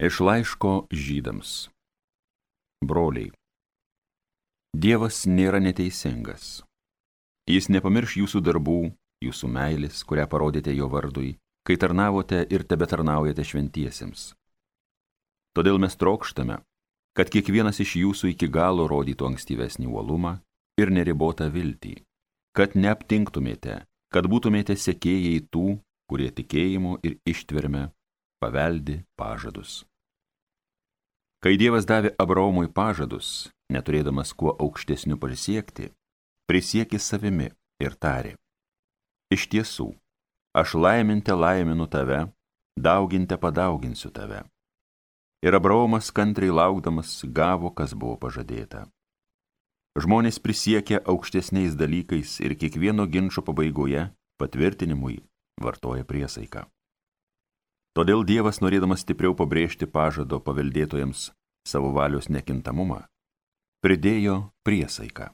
Iš laiško Žydams. Broliai, Dievas nėra neteisingas. Jis nepamirš jūsų darbų, jūsų meilės, kurią parodėte jo vardui, kai tarnavote ir tebetarnaujate šventiesiems. Todėl mes trokštame, kad kiekvienas iš jūsų iki galo rodytų ankstyvesnį uolumą ir neribotą viltį, kad neaptinktumėte, kad būtumėte sekėjai tų, kurie tikėjimu ir ištverme paveldi pažadus. Kai Dievas davė Abraomui pažadus, neturėdamas kuo aukštesnių prisiekė savimi ir tarė: Iš tiesų, aš laiminte laiminu tave, dauginte padauginsiu tave. Ir Abraomas kantriai laukdamas gavo, kas buvo pažadėta. Žmonės prisiekia aukštesniais dalykais ir kiekvieno ginčo pabaigoje patvirtinimui vartoja priesaiką. Todėl Dievas, norėdamas stipriau pabrėžti pažado paveldėtojams savo valios nekintamumą, pridėjo priesaiką.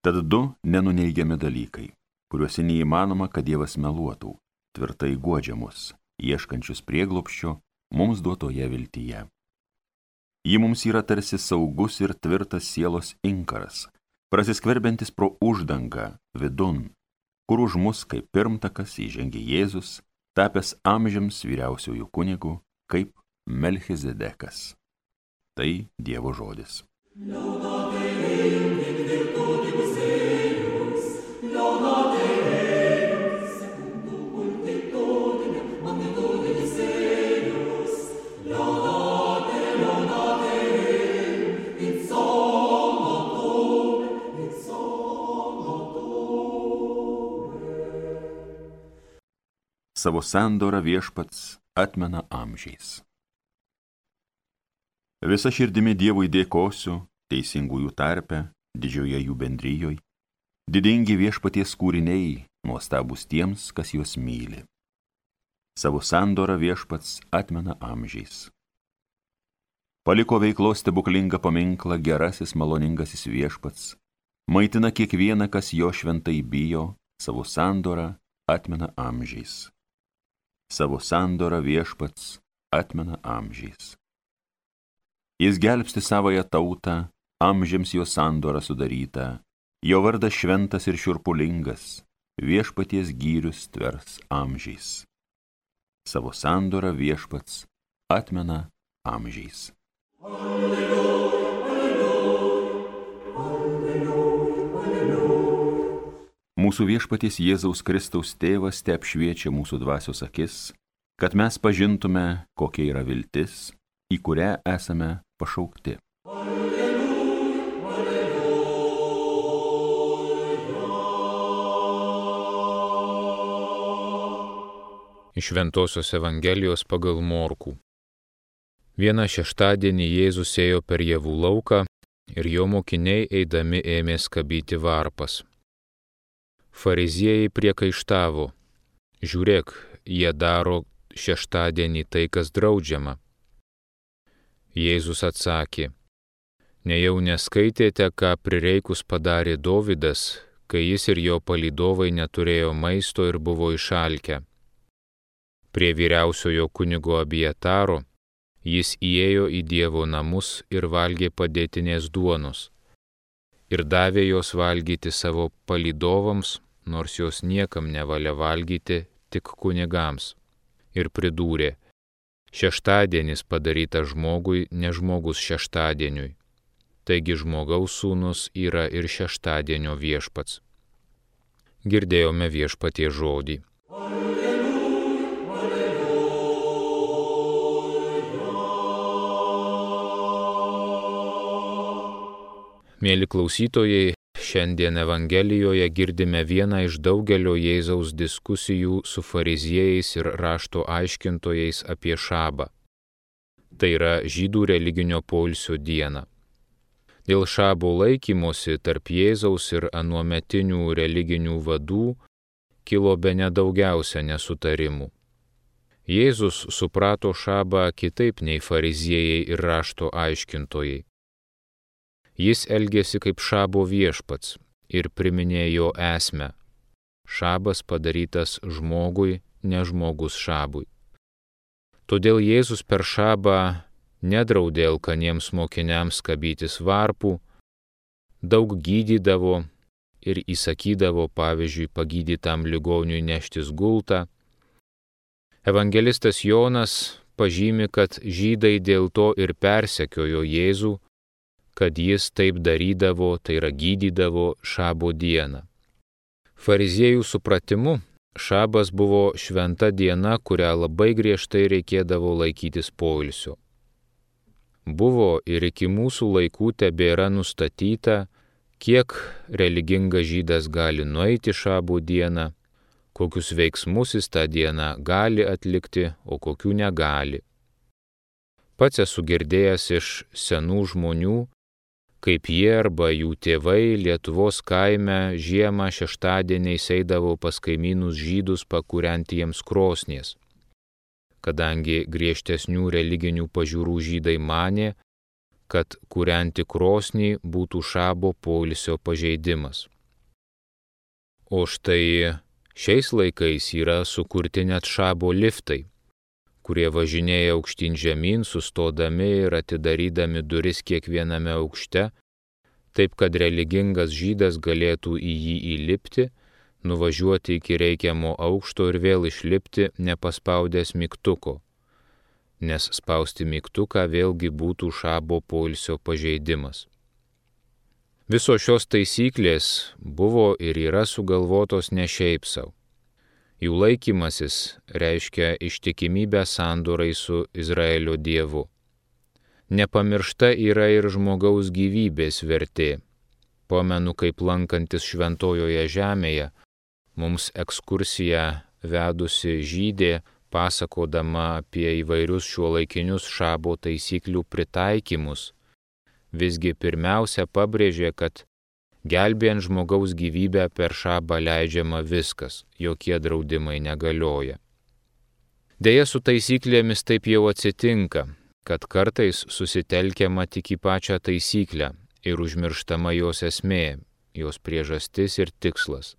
Tad du nenuneigiami dalykai, kuriuose neįmanoma, kad Dievas meluotų, tvirtai guodžia mus, ieškančius prieglobsčio mums duotoje viltyje. Ji mums yra tarsi saugus ir tvirtas sielos inkaras, prasiskverbiantis pro uždangą vidun, kur už mus kaip pirmtakas įžengė Jėzus, tapęs amžiams vyriausiųjų kunigų, kaip Melchizedekas. Tai Dievo žodis. Savo sandorą viešpats atmena amžiais. Visa širdimi Dievui dėkosiu, teisingųjų tarpe, didžioje jų bendryjoje, didingi viešpaties kūriniai, nuostabūs tiems, kas juos myli. Savo sandorą viešpats atmena amžiais. Paliko veiklos stebuklingą paminklą gerasis maloningasis viešpats, maitina kiekvieną, kas jo šventai bijo, savo sandorą atmena amžiais. Savo sandorą viešpats atmena amžiais. Jis gelbsti savąją tautą, amžiams jo sandorą sudarytą, jo vardas šventas ir šiurpulingas, viešpaties gyrius tvers amžiais. Savo sandorą viešpats atmena amžiais. Alleluja, alleluja, alleluja, alleluja. Mūsų viešpaties Jėzaus Kristaus tėvas te apšviečia mūsų dvasios akis, kad mes pažintume, kokia yra viltis, į kurią esame pašaukti. Alleluja, alleluja. Iš Šventosios Evangelijos pagal Morkų. Vieną šeštadienį Jėzus ėjo per javų lauką ir jo mokiniai eidami ėmė skabyti varpas. Fariziejai priekaištavo: Žiūrėk, jie daro šeštadienį tai, kas draudžiama. Jėzus atsakė: Nejau neskaitėte, ką prireikus padarė Dovydas, kai jis ir jo palydovai neturėjo maisto ir buvo išalkę. Prie vyriausiojo kunigo Abijataro jis įėjo į Dievo namus ir valgė padėtinės duonos ir davė jos valgyti savo palydovams, nors jos niekam nevalia valgyti, tik kunigams. Ir pridūrė: Šeštadienis padarytas žmogui, ne žmogus šeštadieniui. Taigi žmogaus sūnus yra ir šeštadienio viešpats. Girdėjome viešpaties žodį. Alleluja, alleluja. Mieli klausytojai, šiandien Evangelijoje girdime vieną iš daugelio Jėzaus diskusijų su fariziejais ir rašto aiškintojais apie šabą. Tai yra žydų religinio poilsio diena. Dėl šabo laikymosi tarp Jėzaus ir anuometinių religinių vadų kilo bene daugiausia nesutarimų. Jėzus suprato šabą kitaip nei fariziejai ir rašto aiškintojai. Jis elgėsi kaip šabo viešpats ir priminė jo esmę. Šabas padarytas žmogui, ne žmogus šabui. Todėl Jėzus per šabą nedraudė alkaniems mokiniams kabytis varpų, daug gydydavo ir įsakydavo, pavyzdžiui, pagydytam ligoniui neštis gultą. Evangelistas Jonas pažymi, kad žydai dėl to ir persekiojo Jėzų, kad jis taip darydavo, tai yra gydydavo šabo dieną. Fariziejų supratimu, šabas buvo šventa diena, kurią labai griežtai reikėdavo laikytis poilsio. Buvo ir iki mūsų laikų tebėra nustatyta, kiek religingas žydas gali nueiti šabo dieną, kokius veiksmus jis tą dieną gali atlikti, o kokių negali. Pats esu girdėjęs iš senų žmonių, kaip jie arba jų tėvai Lietuvos kaime žiemą šeštadieniais eidavo pas kaimynus žydus pakūrenti jiems krosnies, kadangi griežtesnių religinių pažiūrų žydai manė, kad kūrenti krosnį būtų šabo poilsio pažeidimas. O štai šiais laikais yra sukurti net šabo liftai, kurie važinėja aukštyn žemyn, sustodami ir atidarydami duris kiekviename aukšte, taip kad religingas žydas galėtų į jį įlipti, nuvažiuoti iki reikiamo aukšto ir vėl išlipti nepaspaudęs mygtuko, nes spausti mygtuką vėlgi būtų šabo poilsio pažeidimas. Visos šios taisyklės buvo ir yra sugalvotos ne šiaip sau. Jų laikymasis reiškia ištikimybę sandorai su Izraelio Dievu. Nepamiršta yra ir žmogaus gyvybės vertė. Pamenu, kaip lankantis šventojoje žemėje, mums ekskursiją vedusi žydė, pasakodama apie įvairius šiuolaikinius šabo taisyklių pritaikymus, visgi pirmiausia pabrėžė, kad gelbėjant žmogaus gyvybę per šabą leidžiama viskas, jokie draudimai negalioja. Deja, su taisyklėmis taip jau atsitinka, kad kartais susitelkiama tik į pačią taisyklę ir užmirštama jos esmė, jos priežastis ir tikslas.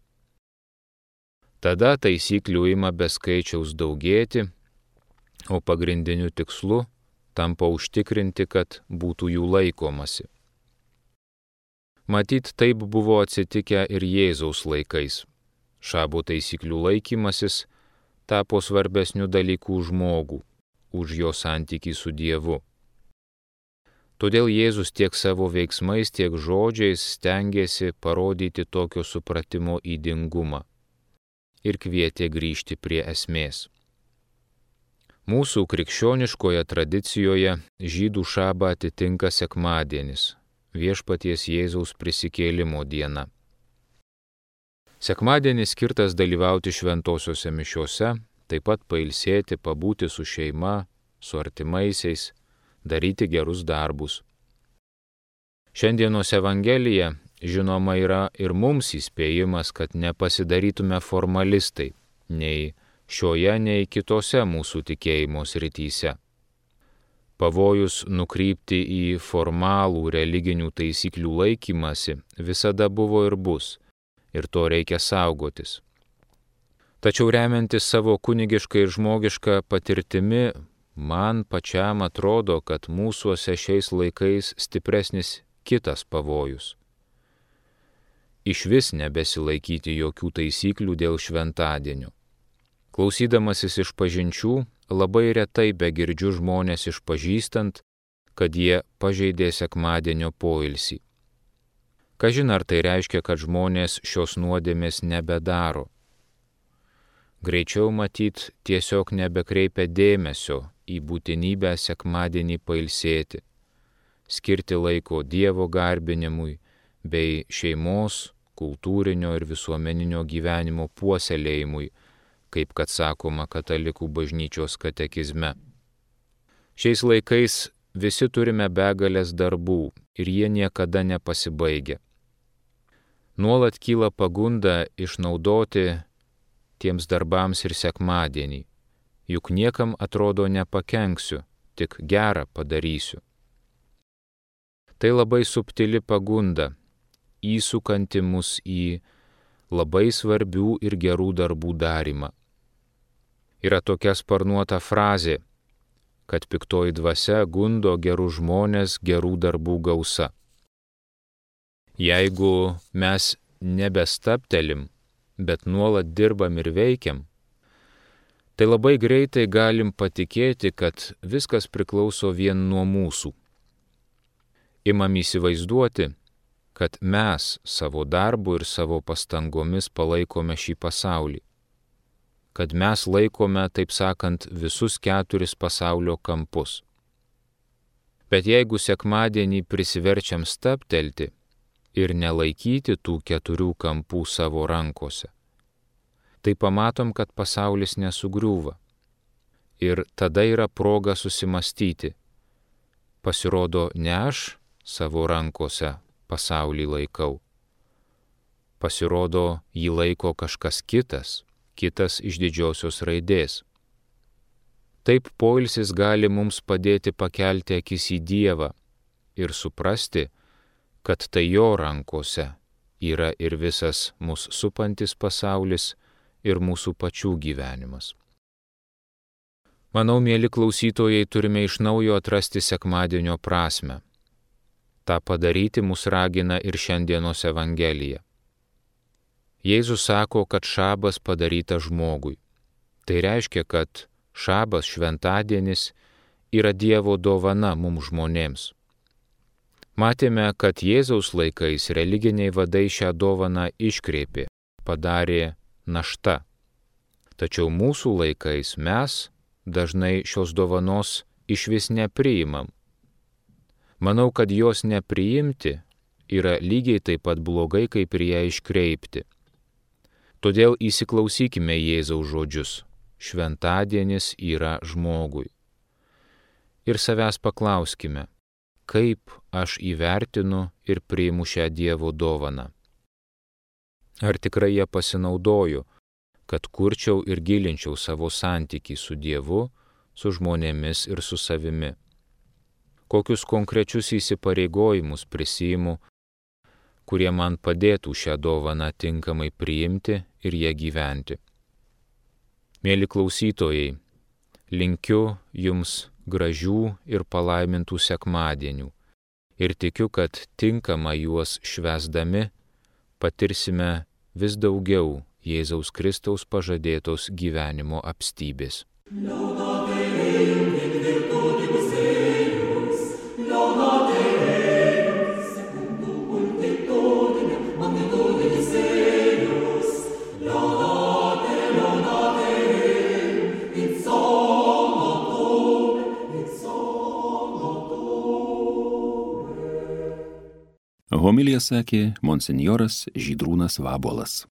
Tada taisyklių ima be skaičiaus daugėti, o pagrindiniu tikslu tampa užtikrinti, kad būtų jų laikomasi. Matyt, taip buvo atsitikę ir Jėzaus laikais. Šabo taisyklių laikymasis tapo svarbesniu dalyku žmogų, už jo santykį su Dievu. Todėl Jėzus tiek savo veiksmais, tiek žodžiais stengėsi parodyti tokio supratimo ydingumą ir kvietė grįžti prie esmės. Mūsų krikščioniškoje tradicijoje žydų šabą atitinka sekmadienis, Viešpaties Jėzaus prisikėlimo diena. Sekmadienis skirtas dalyvauti šventosiuose mišiose, taip pat pailsėti, pabūti su šeima, su artimaisiais, daryti gerus darbus. Šiandienos Evangelija, žinoma, yra ir mums įspėjimas, kad nepasidarytume formalistai, nei šioje, nei kitose mūsų tikėjimo srityse. Pavojus nukrypti į formalų religinių taisyklių laikymasi visada buvo ir bus, ir to reikia saugotis. Tačiau remiantis savo kunigišką ir žmogišką patirtimi, man pačiam atrodo, kad mūsuose šiais laikais stipresnis kitas pavojus. Išvis nebesilaikyti jokių taisyklių dėl šventadienio. Klausydamasis išpažinčių, labai retai begirdžiu žmonės išpažįstant, kad jie pažeidė sekmadienio poilsį. Kažin ar tai reiškia, kad žmonės šios nuodėmės nebedaro. Greičiau matyt, tiesiog nebekreipia dėmesio į būtinybę sekmadienį pailsėti, skirti laiko Dievo garbinimui bei šeimos, kultūrinio ir visuomeninio gyvenimo puoselėjimui, kaip kad sakoma katalikų bažnyčios katekizme. Šiais laikais visi turime begalės darbų ir jie niekada nepasibaigia. Nuolat kyla pagunda išnaudoti tiems darbams ir sekmadienį, juk niekam atrodo nepakenksiu, tik gerą padarysiu. Tai labai subtili pagunda, įsukanti mus į labai svarbių ir gerų darbų darymą. Yra tokia sparnuota frazė: kad piktoji dvasia gundo gerų žmonės gerų darbų gausa. Jeigu mes nebestaptelim, bet nuolat dirbam ir veikiam, tai labai greitai galim patikėti, kad viskas priklauso vien nuo mūsų. Imam įsivaizduoti, kad mes savo darbu ir savo pastangomis palaikome šį pasaulį, kad mes laikome, taip sakant, visus 4 pasaulio kampus. Bet jeigu sekmadienį prisiverčiam stabtelti ir nelaikyti tų 4 kampų savo rankose, tai pamatom, kad pasaulis nesugriūva. Ir tada yra proga susimastyti. Pasirodo, ne aš savo rankose pasaulį laikau. Pasirodo, jį laiko kažkas kitas iš didžiosios raidės. Taip poilsis gali mums padėti pakelti akis į Dievą ir suprasti, kad tai jo rankose yra ir visas mus supantis pasaulis ir mūsų pačių gyvenimas. Manau, mieli klausytojai, turime iš naujo atrasti sekmadienio prasmę. Ta padaryti mus ragina ir šiandienos Evangelija. Jėzus sako, kad šabas padarytas žmogui. Tai reiškia, kad šabas, šventadienis, yra Dievo dovana mums žmonėms. Matėme, kad Jėzaus laikais religiniai vadai šią dovaną iškreipė, padarė našta. Tačiau mūsų laikais mes dažnai šios dovanos išvis nepriimam. Manau, kad jos nepriimti yra lygiai taip pat blogai, kaip ir ją iškreipti. Todėl įsiklausykime Jėzaus žodžius. Šventadienis yra žmogui. Ir savęs paklauskime, kaip aš įvertinu ir priimu šią Dievo dovaną. Ar tikrai ją pasinaudoju, kad kurčiau ir gilinčiau savo santykį su Dievu, su žmonėmis ir su savimi? Kokius konkrečius įsipareigojimus prisiimu, kurie man padėtų šią dovaną tinkamai priimti ir ją gyventi? Mieli klausytojai, linkiu jums gražių ir palaimintų sekmadienių ir tikiu, kad tinkamai juos švęsdami patirsime vis daugiau Jėzaus Kristaus pažadėtos gyvenimo apstybės. Homiliją sakė monsinjoras Žydrūnas Vabuolas.